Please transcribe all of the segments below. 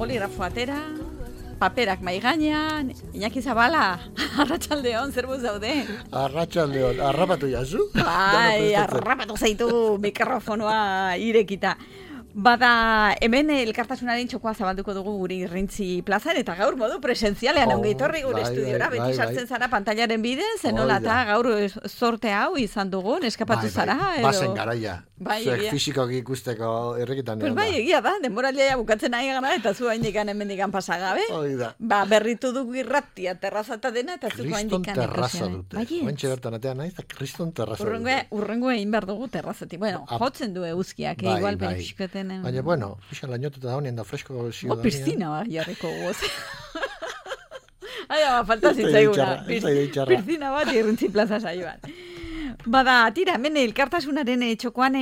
boligrafo atera, paperak mai gainean, Iñaki Zabala, arratsaldeon, zer buz daude? Arratsaldeon, harrapatu jazu? Bai, harrapatu zaitu mikrofonoa irekita. Bada, hemen elkartasunaren txokoa zabalduko dugu guri Irrintzi plazan, eta gaur modu presentzialean ongi etorri gure estudiora, beti sartzen zara pantailaren bidez, enola eta gaur sorte hau izan dugun, eskapatu zara. Bazen garaia, zuek fizikoki ikusteko errekitan egon da. Bai, egia da, denboralea bukatzen nahi gana, eta zu haindikan hemendikan pasagabe. Ba, berritu dugu irratia, terrazata dena, eta zu haindikan Kriston terraza dute. Ointxe bertan atean nahi, eta kriston terraza dute. Urrengo egin behar dugu terrazatik. Bueno, jotzen du eguzkiak, igual penixketen. Baina, bueno, pixan lainotuta da honien da fresko ziudadania. Piscina ba, jarriko goz. Aia, falta zitzaiguna. Piscina bat Irrintzi plaza saioan. Bada, tira, hemen elkartasunaren txokoan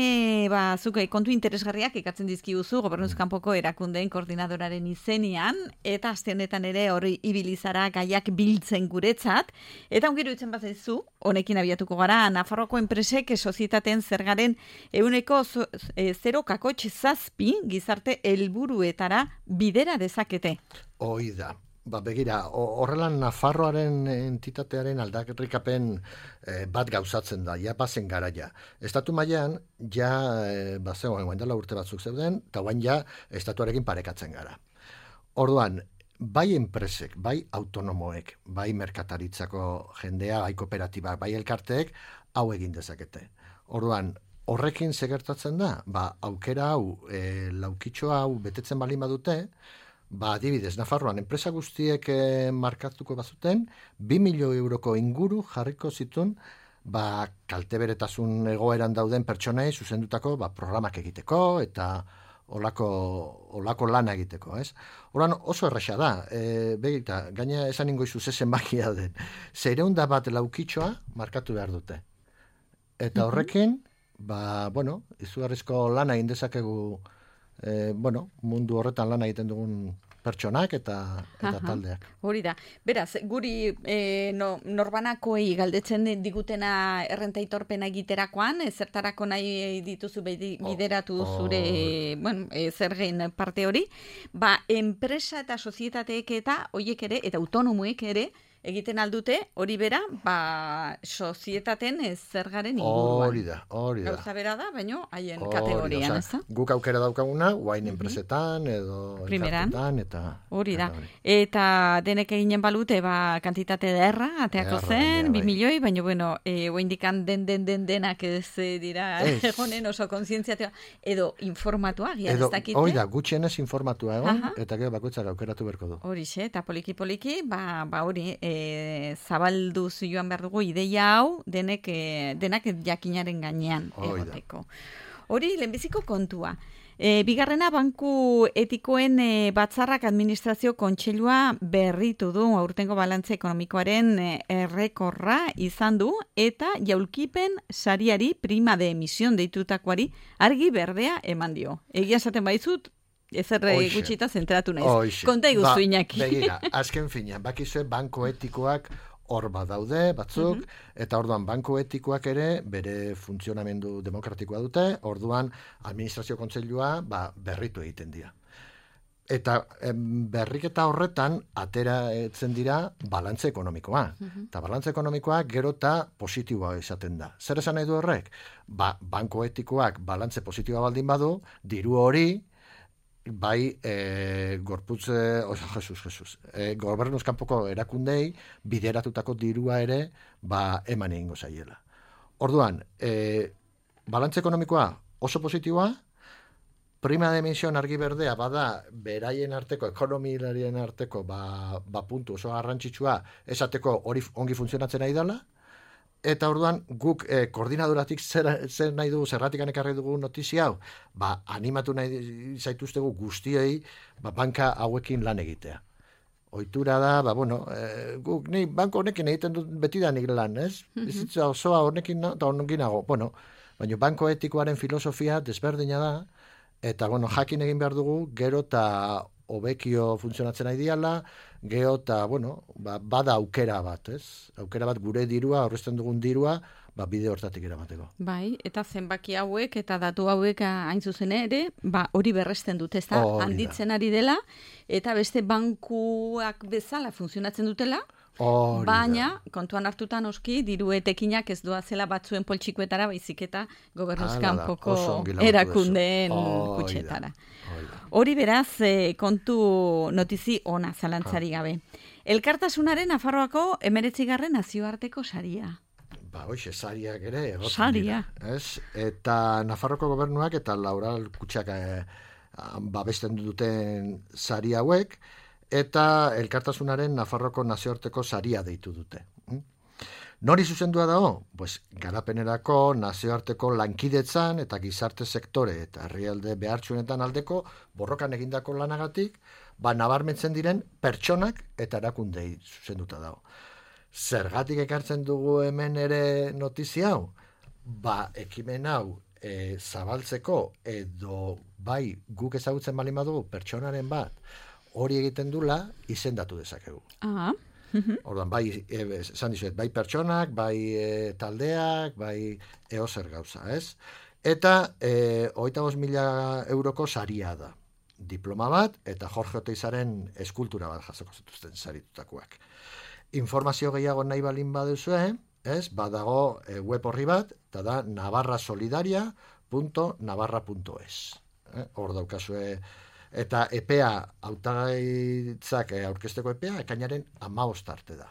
zuke kontu interesgarriak ekartzen dizkiguzu gobernuz kanpoko erakundeen koordinadoraren izenean, eta aste honetan ere hori ibilizara gaiak biltzen guretzat, eta ongiru itzen bazaizu, honekin abiatuko gara, Nafarroako enpresek sozietateen zergaren 0,7 gizarte helburuetara bidera dezakete. Hoi da. Begira, horrelan Nafarroaren entitatearen aldarrikapen bat gauzatzen da, ja bazen garaia. Estatu mailan ja, guain dela urte batzuk zeuden, eta guain ja estatuarekin parekatzen gara. Orduan, bai enpresek, bai autonomoek, bai merkataritzako jendea, bai kooperatibak, bai elkarteek, hau egin dezakete. Orduan, horrekin segertatzen da, aukera hau, laukitxo hau betetzen balin badute, adibidez, Nafarroan enpresa guztiek markatuko bazuten, 2 milioi euroko inguru jarriko zituen kalteberetasun egoeran dauden pertsonei zuzendutako programak egiteko eta olako lana egiteko, ez? Horan oso erresa da, begita, gaina esan ingoizu zezen bakia den, 101 laukitxoa markatu behar dute. Eta horrekin, izugarrizko lana egin dezakegu mundu horretan lana egiten dugun pertsonak eta taldeak. Hori da. Beraz, guri norbanakoei galdetzen digutena errenta aitorpena egiterakoan, zertarako nahi dituzu bideratu zure zergen parte hori, enpresa eta sozietateek eta hoiek ere, eta autonomoek ere, egiten aldute, hori bera, sozietaten zergaren inguruan. Hori da. Gauza bera da, baina haien kategorian, ez da? Guk aukera daukaguna, guain enpresetan, edo elkartetan, eta... Hori da. Eta denek eginen balute, kantitate derra, ateako zen, 2 milioi, baina, oindikan denak ez dira, egonen oso kontzientziatua, edo informatua, gian ez dakite. Hori da, gutxienez informatua egon, eta gero bakoitzak aukeratu berko du. Horixe, eta poliki, hori, zabalduz joan behar dugu ideia hau denak jakinaren gainean egoteko. Hori lehenbiziko kontua. Bigarrena, banku etikoen batzarrak administrazio kontseilua berritu du aurtengo balantze ekonomikoaren errekorra izan du, eta jaulkipen sariari prima de emisión deitutakoari argi berdea eman dio. Egia esaten baizut, ezer gutxita zentratu naiz. Konta iguzu, Iñaki. Begira, azken finean, bakizue banko etikoak hor badaude batzuk, eta orduan banko etikoak ere bere funtzionamendu demokratikoa dute, orduan administrazio kontseilua berritu egiten dira. Eta berriketa horretan ateratzen dira balantze ekonomikoa. Eta balantze ekonomikoa gero eta positiboa izaten da. Zer esan nahi du horrek? Banko etikoak balantze positiboa baldin badu, diru hori gobernuz kanpoko erakundei bideratutako dirua ere eman egingo zaiela. Orduan, balantze ekonomikoa oso positiboa, prima de emisión argi berdea bada beraien arteko, ekonomilarien arteko puntu oso garrantzitsua esateko hori ongi funtzionatzen nahi dela, eta orduan guk koordinadoratik zer nahi dugu, zerratik ekarri dugu notizia hau, animatu nahi zaituztegu guztiei banka hauekin lan egitea. Ohitura da, guk ni banko honekin egiten dut betidanik lan, ez? Bizitza osoa honekin eta honekinago. Baina banko etikoaren filosofia desberdina da, eta jakin egin behar dugu, gero eta hobekio funtzionatzen nahi diala, gero eta, bada aukera bat, ez? Aukera bat gure dirua, aurrezten dugun dirua, bide hortatik eramateko. Bai, eta zenbaki hauek eta datu hauek hain zuzen ere, hori berresten dute, ezta? Handitzen ari dela, eta beste bankuak bezala funtzionatzen dutela, baina, kontuan hartutan oski, diru etekinak ez doazela batzuen poltsikoetara, baizik eta gobernuzkanpoko erakundeen kutxetara. Hori beraz, kontu notizi ona zalantzari gabe. Elkartasunaren Nafarroako 19. nazioarteko saria. Hoxe, sariak ere. Saria. Eta Nafarroko gobernuak eta Laural kutxak babesten duten sari hauek, eta Elkartasunaren Nafarroko nazioarteko saria deitu dute. Nori zuzendua dago? Garapenerako nazioarteko lankidetzan eta gizarte sektore eta herrialde behartsuenetan aldeko borrokan egindako lanagatik, nabarmentzen diren pertsonak eta erakundei zuzenduta dago. Zergatik ekartzen dugu hemen ere notizia hau? Ekimen hau zabaltzeko edo guk ezagutzen baldin badugu pertsonaren bat hori egiten dula izendatu dezakegu. Orduan, esan dizuet, pertsonak, taldeak, eozer gauza, ez? Eta 25.000 euroko saria da. Diploma bat eta Jorge Oteizaren eskultura bat jasoko zituzten saritutakoak. Informazio gehiago nahi balin baduzue, badago web horri bat, eta da navarrasolidaria.navarra.es. Hor daukazue, eta epea, hautagaitzak aurkezteko epea, ekainaren 15 arte da.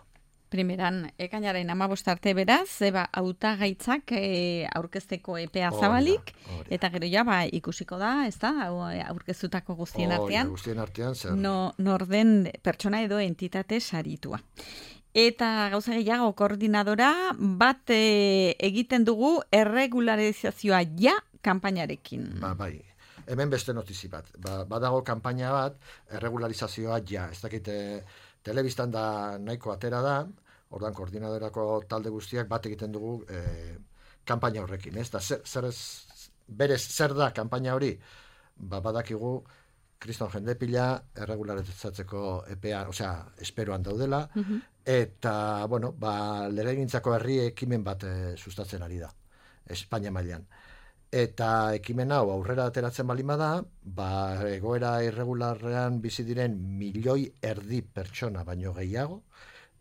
Primeran, ekainaren 15 arte beraz, hautagaitzak aurkezteko epea zabalik, eta gero ikusiko da, ez da, aurkeztutako guztien artean, norden pertsona edo entitate saritua. Eta gauza gehiago koordinadora bat egiten dugu erregularizazioa kanpainarekin. Hemen beste notizi bat. Badago kanpaina bat, erregularizazioa ez dakite telebistan da nahiko atera da, ordan koordinadorako talde guztiak bat egiten dugu kanpaina horrekin. Berez zer da kanpaina hori? Badakigu kriston jende pila erregularizatzeko epea, esperoan daudela, eta, legegintzako herri ekimen bat sustatzen ari da, Espainia mailan. Eta ekimen hau aurrera ateratzen baldin bada, egoera irregularrean bizi diren 1,5 milioi pertsona baino gehiago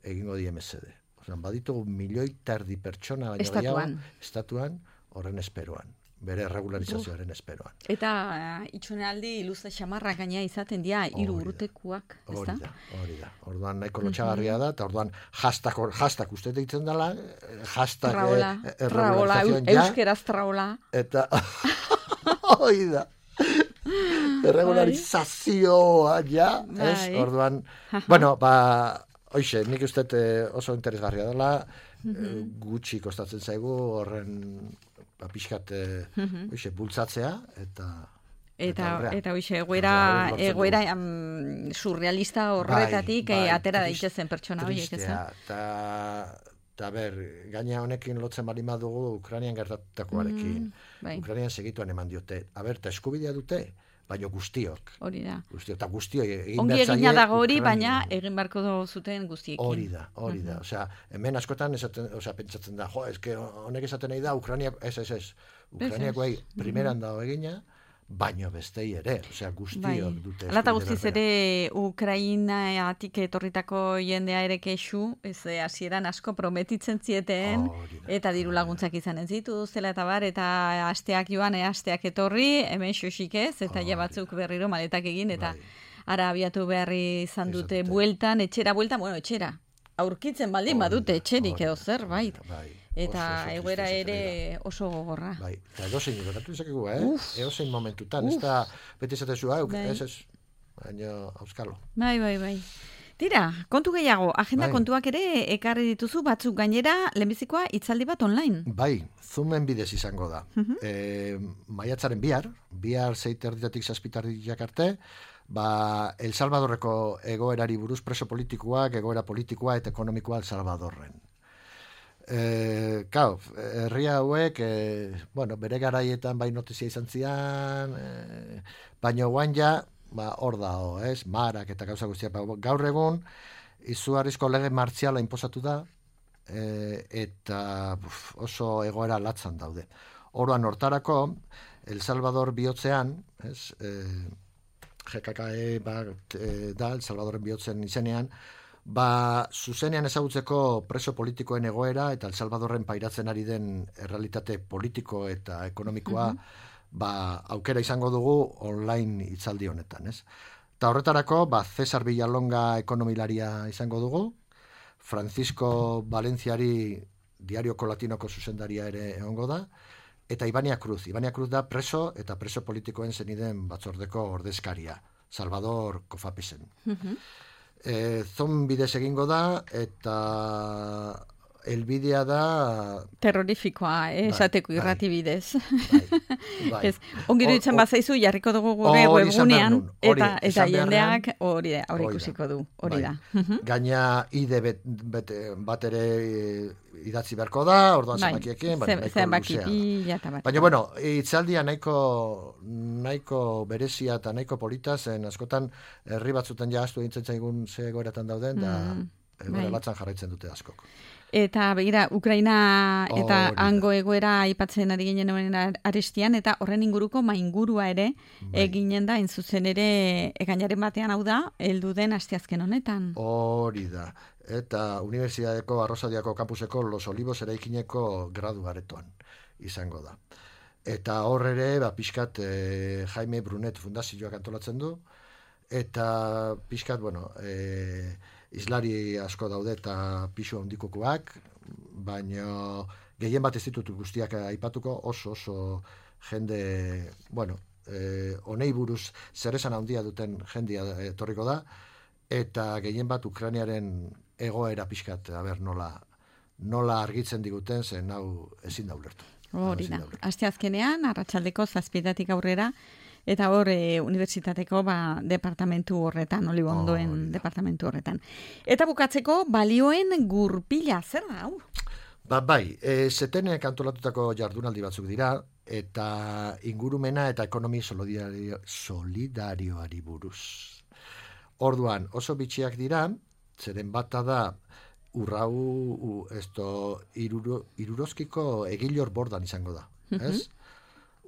egingo die mesede. Baditugu 1,5 milioi pertsona baino gehiago estatuan horren esperoan, bere erregularizazioaren esperoan. Eta itxonealdi luze xamarra gaina izaten dira 3 urtekuak, ezta? Hori da. Orduan nahiko lotxagarria da, eta orduan hashtag uste deitzen dela, hashtag erregularizazioan euskeraz traola. Eta hori da. Erregularizazioa ez? Orduan, hoxe, nik uste oso interesgarria dela, gutxi kostatzen zaigu horren pixkat bultzatzea, eta hoxe, egoera surrealista horretatik atera daitezen pertsona horiek, ez? Eta gaina honekin lotzen bali madugu Ukrainian gertatutakoarekin. Ukrainian segituan eman diote. Eta eskubidea dute, baina guztiok. Hori da. Eta guztiok egin ongi egina dago hori, baina egin barko zuten guztiekin. Hori da. Hemen askotan pentsatzen da, honek esaten nahi da, ez. Ukrainiakoei primeran dago egina, baino bestei ere, guztiok dute. Alata guztiz ere Ukrainatik etorritako jendea ere kexu, hasieran asko prometitzen zieten, eta diru laguntzak izanen zituztela eta eta asteak joan, asteak etorri, hemen xosik ez, eta ja batzuk berriro maletak egin, eta ara abiatu beharri izan dute bueltan, etxera, aurkitzen baldin badute etxerik edo zerbait. Eta egoera ere oso gogorra. Eta edozein gertatu izakegu, edozein momentutan, ez da beti esatezu, ez, baina auskalo. Bai. Tira, kontu gehiago, agenda kontuak ere ekarri dituzu batzuk gainera, lehenbizikoa hitzaldi bat online. Zoomen bidez izango da. Maiatzaren bihar 6:00 7:00 arte, El Salvadorreko egoerari buruz preso politikoak, egoera politikoa eta ekonomikoa El Salvadorren. Herria hauek, bere garaietan notizia izan zian, baina guain hor da, marak eta gauza guztiak. Gaur egun, izugarrizko lege martziala inposatu da, eta oso egoera latzan daude. Orduan hortarako, El Salvador bihotzean, GKKE da, El Salvadoren bihotzen izenean, zuzenean ezagutzeko preso politikoen egoera eta El Salvadorren pairatzen ari den errealitate politiko eta ekonomikoa aukera izango dugu online hitzaldi honetan, ez? Eta horretarako, Cesar Villalonga ekonomilaria izango dugu, Francisco Valenciari Diarioko Latinoko zuzendaria ere egongo da, eta Ibania Cruz. Ibania Cruz da preso eta preso politikoen zeniden batzordeko ordezkaria, Salvador Cofapesen. Zon bidez egingo da, eta helbidea da... Terrorifikoa, esateko irrati bidez. Ongiro ditzen bazaizu, jarriko dugu gure webgunean, eta jendeak hori ikusiko du, hori da. Gaina ide bat ere idatzi beharko da, orduan zenbakiekin, zenbaki pila eta bat. Baina, bueno, itzaldia nahiko berezia eta nahiko polita, zen askotan herri batzuten jaztu dintzen zaigun ze egoeratan dauden, da egoera latzan jarraitzen dute askok. Eta begira, Ukraina eta hango egoera aipatzen ari ginen arestian, eta horren inguruko maingurua ere eginen da, zuzen ere ekainaren batean hau da, heldu den asteazken honetan. Hori da. Eta Unibertsitateko Arrosadiako kampuseko Los Olivos eraikineko graduaretoan izango da. Eta hor ere, pixkat Jaime Brunet fundazioak antolatzen du, eta pixkat, islari asko daude eta pisu handikokoak, baina gehien bat ez ditut guztiak aipatuko, oso jende, honei buruz zeresan handia duten jendia etorriko da, eta gehien bat Ukrainiaren egoera pixkat, nola argitzen diguten, zen hau ezin da ulertu. Hori da, asteazkenean, arratsaldeko 7:00 aurrera, eta hor unibertsitateko departamentu horretan, Olibondoen departamentu horretan. Eta bukatzeko, balioen gurpila, zer da, hau? Zetenek antolatutako jardunaldi batzuk dira, eta ingurumena eta ekonomi solidarioari buruz. Orduan, oso bitxiak dira, zeren bata da, Irurozkiko Egilor Bordan izango da, ez?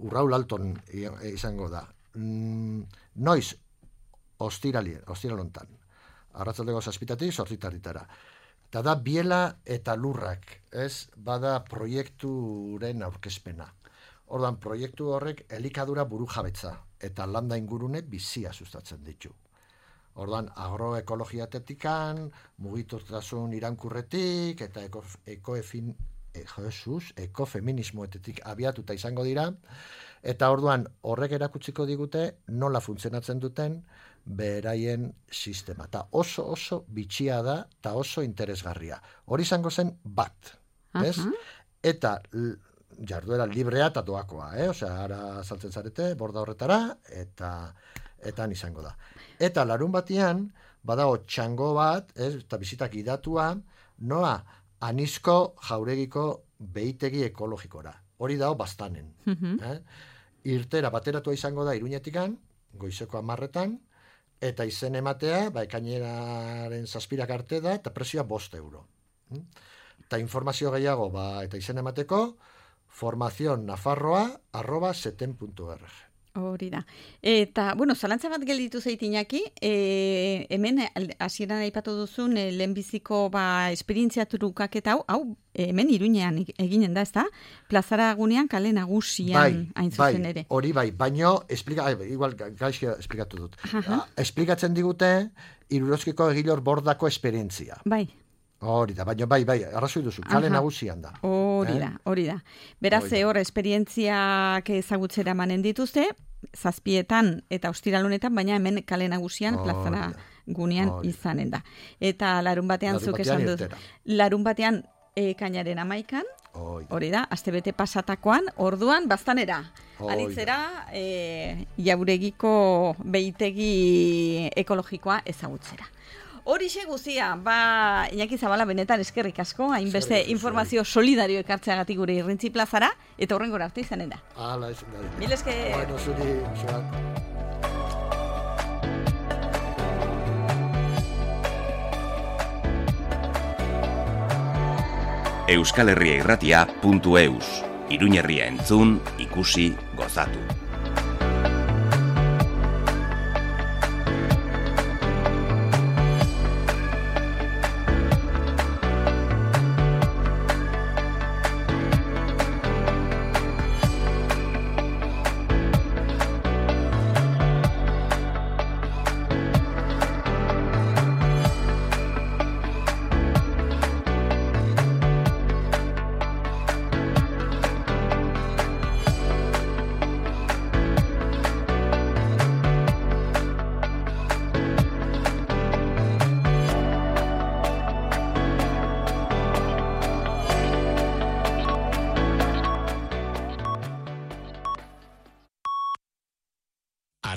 Urraul Alton izango da. Noiz, ostiralontan. Arratzaldeko 7:00 8:00. Eta da biela eta lurrak, ez? Bada proiekturen aurkezpena. Orduan, proiektu horrek elikadura burujabetza eta landa ingurune bizia sustatzen ditu. Orduan, agroekologiatetikan, mugiturtasun irankurretik eta ekofeminismoetetik abiatuta izango dira, eta orduan horrek erakutsiko digute nola funtzionatzen duten beraien sistema. Eta oso bitxia da eta oso interesgarria. Hori izango zen bat, ez? Eta jarduera librea eta doakoa, osea, ara saltzen zarete, borda horretara, eta izango da. Eta larun batean, badago txango bat, eta bizitak idatua, noa Anizko jauregiko behitegi ekologikora. Hori dago Baztanen. Irtera bateratua izango da Iruñetikan, goizeko 10:00, eta izen ematea, ekaineraren 7:00 arte da, eta prezioa 5 euro. Eta informazio gehiago, eta izen emateko, formazionnafarroa@seten.org. Hori da. Eta, zalantza bat gelditu zeitinaki, hemen hasieran aipatu duzun lehenbiziko esperientzia trukaketa hau hemen Iruñean eginen da, ezta? Plazara gunean kale nagusian hain zuzen ere. Hori baino, igual gaizki esplikatu dut. Esplikatzen digute Irurozkiko Egilor Bordako esperientzia. Hori da, baina arrazoi duzu, kale nagusian da. Hori da. Beraz, hor esperientziak ezagutzera manen dituzte, 7:00 eta ostiralunetan, baina hemen kale nagusian plazara gunean izanen da. Eta larun batean zuk esan dut. Larun batean ekainaren 11:00, hori da, astebete pasatakoan, orduan Baztanera. Anitzera, Jauregiko behitegi ekologikoa ezagutzera. Horixe guzia, Iñaki Zabala benetan eskerrik asko, hainbeste informazio solidario ekartzeagatik gure Irrintzi plazara, eta horrengora arte izanen da. Hala, izan da. Mil esker. Bueno, zuri, euskalherriairratia.eus. Iruñerria entzun, ikusi, gozatu.